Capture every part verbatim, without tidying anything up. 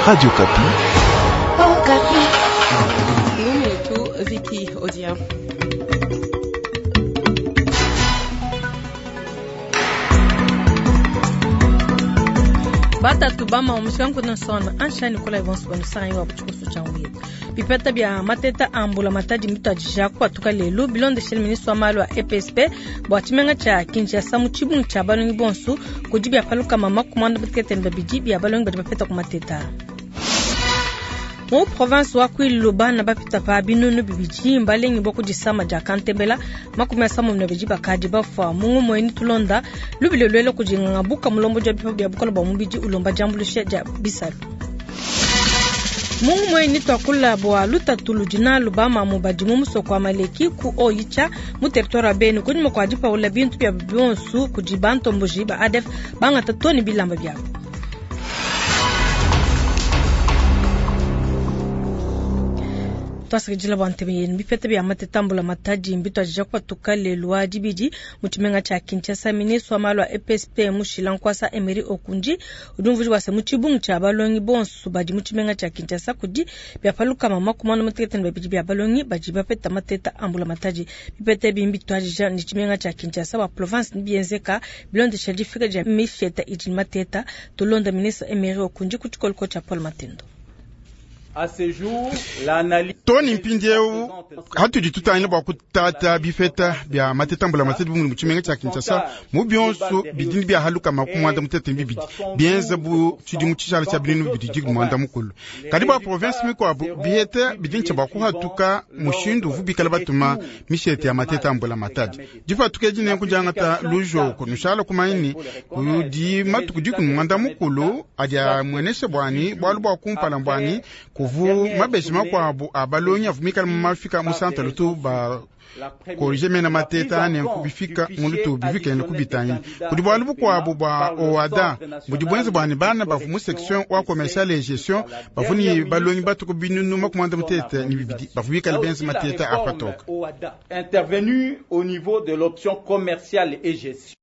Radio Okapi. Okapi. Lumitu Vicky Odia. Batatu bama omusika nkuna sona anshani kola ibonso banusanyi wa buchikusu changuye bipeta bya mateta ambula matadi mitadija kwatuka lelu bilondeshele ministre wa malu a E P S P bwa tshimenga tshia Kinshasa mu tshibungi tshia balongi bonso kudi bya paluka mama kumanda butekete babidi bya balongi badi bapeta ku mateta. Mu province wa Kwilu bana bapita pa binunu bibidi mbalengi bwa kudisama dia kantembela makumi asamu na bidi bakadi bafwa mungu mweni tulonda lubile lwele kujinganga buka mulombo dia bipa bya bukola bwa mubidi ulomba jambulusha dia bisalu. Mungu mweni twakula bwa lutatu ludina lubama mu badi mu musoko wa Maleki ku Oicha mu territoire ya Beni kunyuma kwa dipaula bintu bya bionso kudi bantomboji ba A D F bangata toni bilamba byabo. Twasakidila bwa ntebe yenu bipeta bya matetambula matadi mbitwajija kwatuka lelu wa dibidi mu tshimenga tshia Kinshasa. Ministre wa malu a E P S P Mushila Nkwasa Emery Okundi udi umvuija bua se mu tshibungi tshia balongi bonso badi mu tshimenga tshia Kinshasa kudi bya paluka mama kumana mutekete ne babidi bya balongi badi bapeta mateta ambula matadi. Bipeta ebi mbitwajija ni tshimenga tshia Kinshasa wa province ni bienzeka bilondesha difika dia misheta idi mateta. Tulonda ministre Emery Okundi ku tshikoloko tshia Paul Matendo. À ce jour, l'analyse Tony mpindieu hatudi tutangila bua kutata bifeta bya matetambula matete bumuli mu tshimenga tshia Kinshasa mu bionso bidindi bya haluka makumi mutete ne bibidi bienza bu tshidimu tshishala tshia binunu bibidi dikumi muanda mukulu kadi bua province mikuabu biheta bidindi tshia bua kuhatuka mushindu uvu bikala batuma mishete ya matetambula matadi dipatuka edi nenku diangata lujoko nushala kumanyi kudi matuku dikumi muanda mukulu adi amuenesha bwani bualu bua kumpala bwani kuvu mabeji makuabu abalongi avumikala mu mafika mu centre lutu ba korije mena mateta ane kubifika mu lutu bivikene kubitanya kudi bualu bukuabu bua OADA budi bwenze bwani bana bavu mu section wa commercial et gestion bavuni balongi batuku binunu makumi mutete ni bibidi bavumikala benze mateta apatoka. Intervenu au niveau de l'option commerciale et gestion.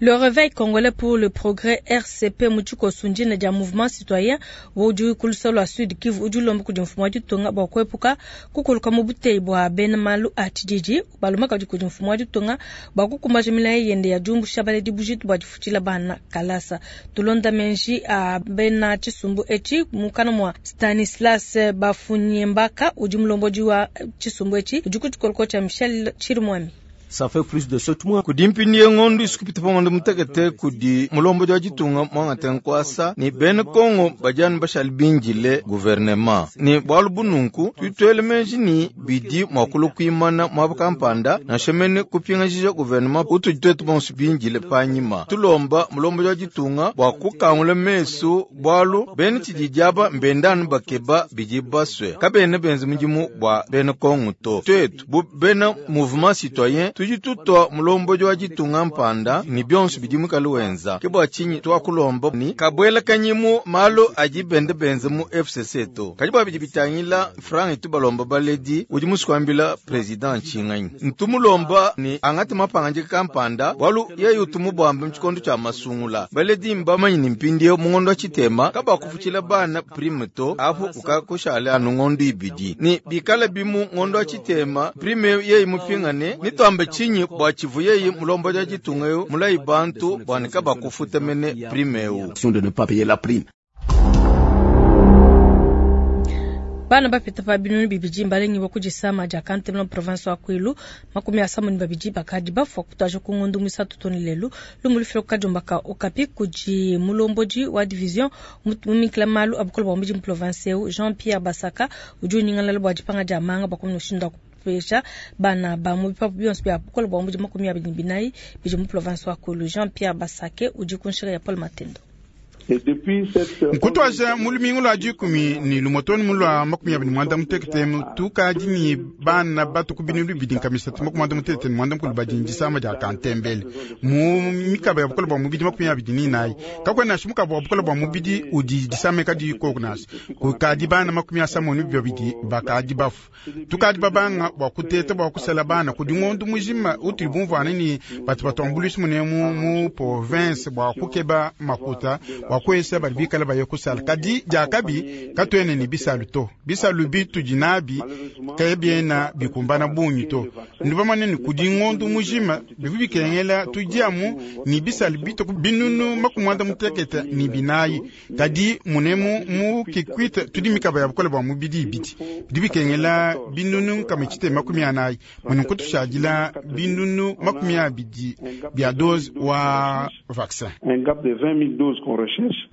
Le réveil congolais pour le progrès R C P Mutuko Sundina dia mouvement citoyen wodi kulusolo a Sud Kivu udi lomba kudi mfumu wa ditunga bua kuepuka kukuluka mu buteyi bua bena malu a tshididi balomba kadi kudi mfumu wa ditunga bua kukumbaja milayi yende ya diumbusha baledi bujitu bua difutshila bana kalasa. Tulonda menji a bena tshisumbu etshi mukana mua Stanislas Bafunyembaka udi mulombodi wa tshisumbu etshi udi ku tshikoloko tshia Michel Chirimwami. Ça fait plus de sept mois. Kudi mpindi ngondo isukupita pangondo mutekete kudi mulombo wa ditunga mwangate nkwasa ni bene Kongo bajani bashali binjile gouvernement ni bwalu bununku tutwele menji ni bidi mwakulu kuimana mwaba kampanda na shemene kupingajija gouvernement utujitwetu bonso binjile panyima tulomba mulombo wa ditunga bwa kukangula mesu bwalu bene tshidijaba mbendanu bakeba bidi baswe kabene benze mudimu bwa bene Kongo to twetu bu bene mouvement citoyen tuji tutwa mulombo wa ditunga mpanda ni bionso bidi mukali wenza ke bwa tshinyi twakulomba ni kabwela kanyimu malo aji bende benze mu F C C to kadi bwa bidi bitangila franc itu balomba baledi udi musukwambila president tshinganyi ntumulomba ni angati mapanga kampanda bwalu yeye utumu bwambe mtshikondo tshia masungula baledi mbamanyi ni mpindi mungondo wa tshitema kabakufutshila bana prime to afu ukakushale anu ngondo ibidi ni bikala bimu ngondo wa tshitema prime yeye mupingane ni twambe chinyi bwa chivu yeye mulombo ja ditunga yo mulayi bantu bwanika bakufuta mene prime eu. De ne pas payer la prime. Bana bapita pa binunu bibidi mbalengi bwa kudisama dia Kantemela province wa Kwilu makumi asamu ni babidi bakadi bafwa kutaja ku ngondu misatu toni lelu lumulu filo kajombaka okapi kudi mulomboji wa division mumikila malu abukola bwa mudi province eu Jean-Pierre Basaka udi unyingalala bwa dipanga dia manga bwa kumnoshinda kupesha bana ba mu bipapu bionso bya bukola bwa mudi makumi abidi binayi bidi mu province wa Kwilu. Jean-Pierre Basake udi ku nshika ya Paul Matendo. Nkutwaja mulumingu lwa dikumi ni lumotoni mulwa makumi abidi mwanda mutekete tukadi ni bana batu kubini bibidi nkamisatu makumi mwanda mutekete ni mwanda mukulu badi ndisama dia kantembele mu mikaba ya bukola bwa mubidi makumi abidi ni nayi kakwena nashi mukaba wa bukola bwa mubidi udi disame kadi koku nasi kukadi bana makumi asamu ni bibidi bakadi bafu tukadi babanga bwa kuteta bwa kusela bana kudi ngondu mujima utuli bumvana ni batu batuambuluisi mune mu, mu province bwa kukeba makuta bwa bua kuesa badi bikala baye kusala. Kadi diakabi katuena ne bisalu to, bisalu bitudi nabi kabiena bikumbana bungi to. Ndi bamane ne kudi ngondo mujima bivu bikengela tudiamu ni bisalu bituku binunu makumi muanda mutekete ni binayi. Kadi munemu mu Kikwit tudi mikaba ya bukole bua mubidi ibidi bidi bikengela binunu nkama tshite makumi anayi mune kutushadila binunu makumi abidi bia dose wa vaccin. Un gap de vingt mille doses qu'on recherche.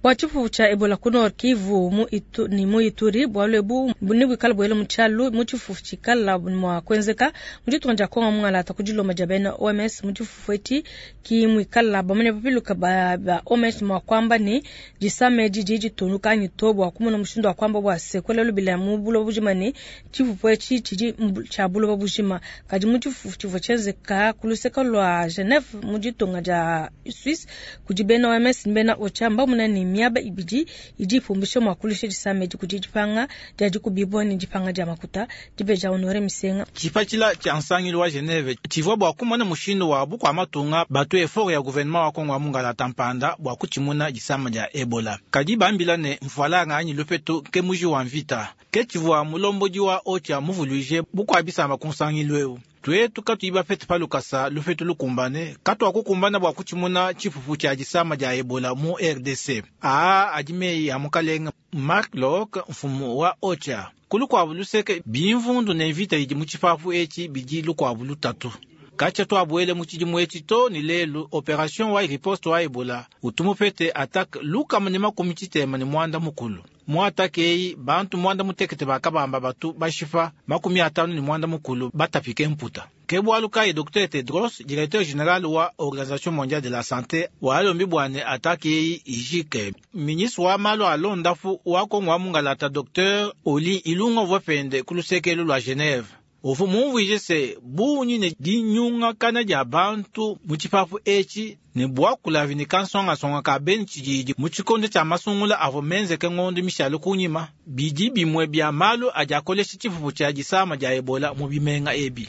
Bua tshipupu tshia Ebola ku Nord Kivu mu itu, ni mu Ituri bualu ebu ne buikala buele mu tshialu mu tshifufu tshikala mua kuenzeka mu ditunga dia Kongo mungalata ku dilomba dia bena O M S mu tshifufu etshi ki muikala bamane bapiluka ba, ba O M S mua kuamba ne disama edi didi ditunuka anyi to bua kumona mushindu wa kuamba bua se kuela lubila mu buloba bujima ne tshifufu etshi tshidi tshia buloba bujima. Kadi mu tshifufu tshivua tshienzeka ku luseke lua Geneve mu ditunga dia Suisse kudi bena O M S ne bena OCHA mbamona ne miaba ibidi idi ipumbisha mua kulusha disama edi kudi dipanga dia dikubibua ne dipanga dia makuta dibeja Honore Misenga. Tshipatshila tshia nsangilu wa Geneve tshivua bua kumona mushindu wa bukua matunga batu effort ya gouvernement wa Kongo wa mungalata mpanda bua kutshimuna disama dia Ebola. Kadi bambila ne mfualanga anyi lupetu ke muji wa mvita ke tshivua mulombodi wa OCHA muvuluije bukua bisamba ku nsangilu eu. Twetu katuyi bapete palukasa lupetu lukumbane katuakukumbana bua kutshimuna tshifufu tshia disama dia Ebola mu R D C. Aa adi meyi a mukalenga Mark Locke mfumu wa OCHA. Kulukuabu luseke bimvundu ne mvita idi mu tshipapu etshi bidi lukuabu lutatu. Katshia tuabuele mu tshidimu etshi to ni lelu operation wa riposte wa Ebola utumupete attaque lukama ne makumi tshitema ne muanda mukulu. Mu attaque eyi bantu muanda mutekete bakabamba batu bashipa makumi atanu ne muanda mukulu batapike mputa. Ke bualu kayi Docteur Tedros, directeur général wa Organisation mondiale de la santé, walombi bwane attaque eyi ijike. Ministre wa malu a londafu wa Kongo wa mungalata Docteur Oli Ilunga uvua ku lusekelo lua Geneve. Uvu mumvuije se bunyi ne dinyungakana dia bantu mu tshipapu etshi ne bua kulavi ne kansongasonga ka beni tshididi mu tshikondo tshia masungula avua menzeke ngondo mishale kunyima bidi bimue bia malu adi akolesha tshifufu tshia disama dia Ebola mu bimenga ebi.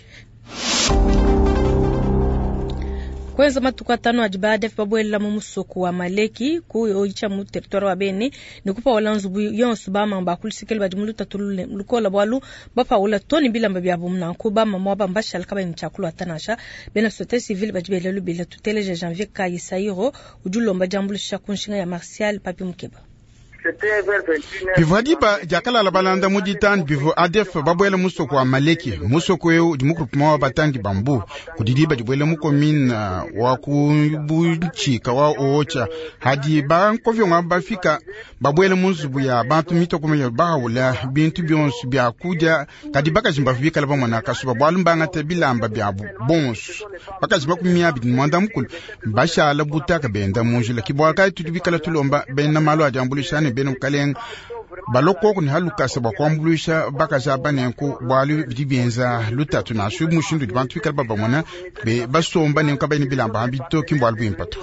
Kwenza matuku atano adi ba A D F babuelela mu musoko wa Maleki ku oyicha mu territoire wa Beni ne kupaola nzubu yonso ba mamba kulusikele badi mu lutatu lukola bwalu bapaola toni bilamba bya nanku ba mama ba mbashala kaba ni chakula tanasha bena société civile badi bele lubila tuteleje Janvier Kayisairo udi lomba jambulisha kunshinga ya Martial Papi Mukeba. Bivua diba diakalala balanda mu ditanu bivua A D F babuela musoko wa Maleki musoko eu di mu groupement wa batangi bambu kudi diba dibuela mu commune wa ku Buchika wa Ocha hadi bankovyonga bafika babuela mu nzubu ya bantu mitoko ya bahaula bintu bionso bya kudia kadi bakaji bikala bamona kasuba bwalu mbangate bilamba byabu bonso bakaji makumi abidi mwanda mukulu bashala butaka benda munjila kibwaka tudi bikala tulomba bena malu adiambulisha ne bena mukalenga balokoko ni halukasa bwa kuambuluisha bakaji aba nenku bwalu bidi bienza lutatu nasu mushindu di bantu bikala babamona be basomba nenku kabayi bilamba hambi to ki mbwalu bwimpa to.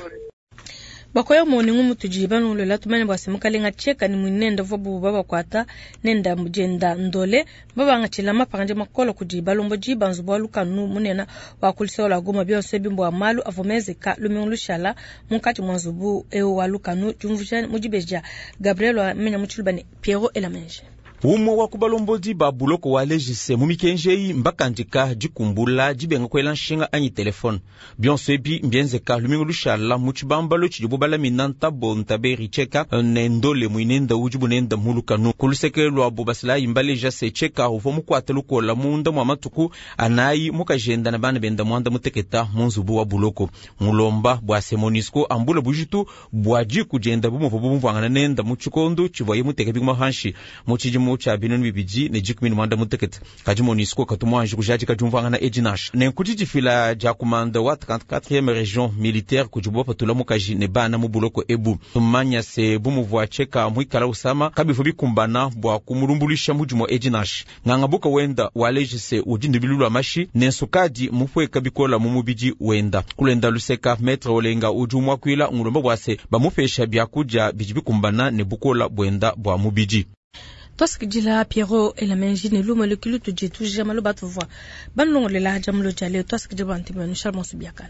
Bakoya moni ngumu tujiba nungulela tumene bwa semukalenga cheka ni mwinenda vwa bubu bakwata nenda mujenda ndole babanga chila mapanga makolo kujiba lombo jiba nzubu lukanu munena wa kulisola goma byonse bimbo malu avomeze ka lumion lushala munkati mwa nzubu eo wa lukanu jumvuja mujibeja Gabriel wa menya muchulubane Piero Elamenje. Umwe wa kubalombodi ba buloko wa legise mu mikenjeyi mbakandika dikumbula dibenga kwela nshinga anyi telefone bionso ebi mbienzeka lumingu lushala mu tshibambalo tshidi bubalamina ntabo ntaberi tsheka ne ndole muinenda udi bunenda mulukanu ku luseke lwabo basilayi mbaleja se tsheka uvua mukuata lukola munda mwa matuku anayi mukajenda na bana benda mwanda muteketa mu nzubu wa buloko mulomba bua se MONUSCO ambula bujitu bua diku dienda bumuvu bumvuangana nenda mu tshikondo tshivuaye muteke bikuma hanshi mu tshidimu cha binunu bibidi ne dikumi ne mwanda mutekete kadi MONUSCO katumwanji kujadika diumvuangana edi nansha nenku didifila dia kumanda wa trente-quatrième région militaire kudi bapatula mukaji ne bana mu buloko ebu tumanya se bumuvua tsheka muikala usama kabivu bikumbana bua kumulumbulisha mudimu edi nansha nganga buka wenda waleje se udi ndubilu lwa mashi ne nsukadi mupweka bikola mu mubidi wenda kulenda luseka maître olenga udi umwakwila ngulomba bua se bamupesha byakudia bidi bikumbana ne bukola bwenda bua mubidi. Twasikidila Piero Elamenji ne lume lukilu tudi tujama lo batuvua banlongolela jamulo jale twasikidila bantu banu Charles Monsubiakala.